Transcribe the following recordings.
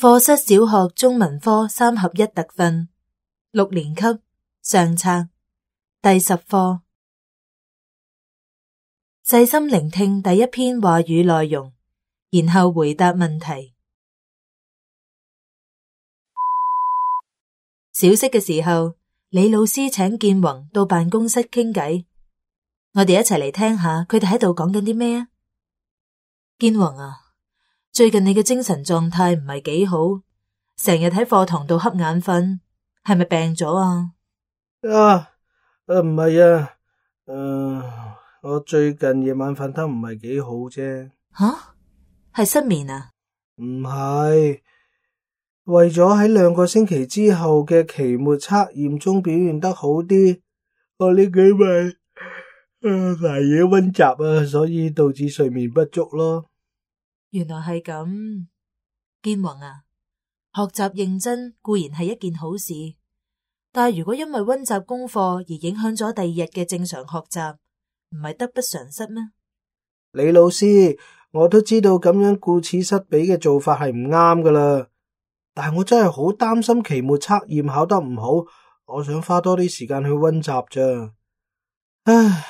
課室小學中文科3合1特訓6年級上冊第10課，細心聆聽第一篇話語內容，然後回答問題。小息嘅時候，李老師請建宏到辦公室傾偈，我哋一齊嚟聽下佢哋喺度講緊啲咩啊？建宏啊，最近你嘅精神狀態唔係幾好，成日喺課堂度瞌眼瞓，係咪病咗啊？唔係啊，我最近夜晚瞓得唔係幾好啫。吓？係失眠啊？唔係，為咗喺2個星期之後嘅期末測驗中表現得好啲，我呢幾晚捱夜溫習啊，所以導致睡眠不足咯。原來係咁，建宏啊，學習認真固然係一件好事，但係如果因為溫習功課而影響咗第2日嘅正常學習，唔係得不償失咩？李老師，我都知道咁樣顧此失彼嘅做法係唔啱噶啦，但係我真係好擔心期末測驗考得唔好，我想花多啲時間去溫習咋。唉，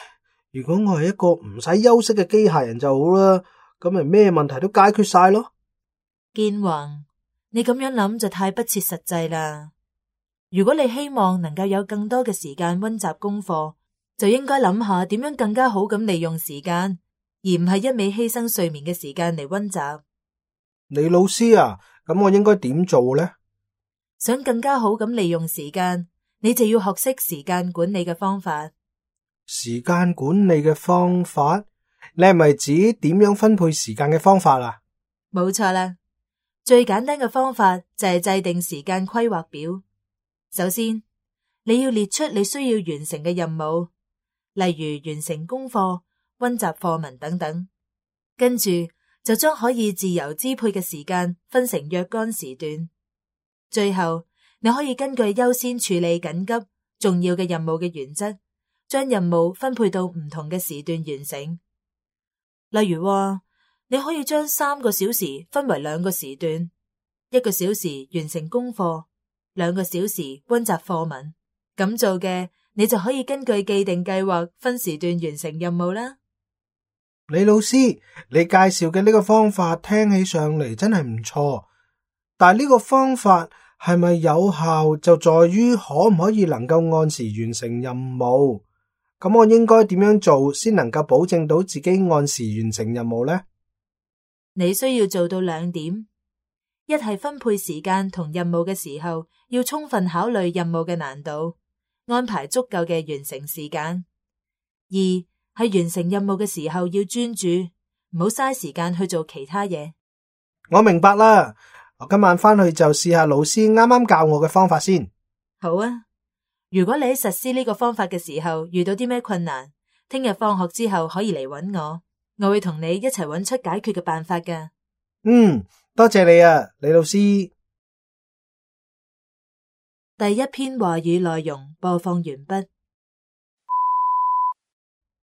如果我係一個唔使休息嘅機械人就好啦，咁咪咩問題都解決晒咯。建宏，你咁樣諗就太不切實際啦。如果你希望能夠有更多嘅時間溫習功課，就應該諗下點樣更加好咁利用時間，而唔係一味犧牲睡眠嘅時間嚟溫習。李老師啊，咁我應該點做呢？想更加好咁利用時間，你就要學識時間管理嘅方法。時間管理嘅方法？你係咪指點樣分配時間嘅方法啊？冇錯啦，最簡單嘅方法就係制定時間規劃表。首先，你要列出你需要完成嘅任務，例如完成功課、溫習課文等等。跟住就將可以自由支配嘅時間分成若干時段。最後，你可以根據優先處理緊急、重要嘅任務嘅原則，將任務分配到唔同嘅時段完成。例如話，你可以將3個小時分為2個時段，1個小時完成功課，2個小時溫習課文。咁做嘅，你就可以根據既定計劃分時段完成任務啦。李老師，你介紹嘅呢個方法聽起上嚟真係唔錯，但係呢個方法係咪有效就在於可唔可以能夠按時完成任務？咁我應該點樣做先能夠保證到自己按時完成任務呢？你需要做到2點，一係分配時間同任務嘅時候，要充分考慮任務嘅難度，安排足夠嘅完成時間。2係完成任務嘅時候要專注，唔好嘥時間去做其他嘢。我明白啦，我今晚返去就試下老師啱啱教我嘅方法先。好啊，如果你喺實施呢個方法嘅時候遇到啲咩困難，聽日放學之後可以嚟搵我，我會同你一齊搵出解決嘅辦法㗎。多謝你啊，李老師。第一篇話語內容播放完畢。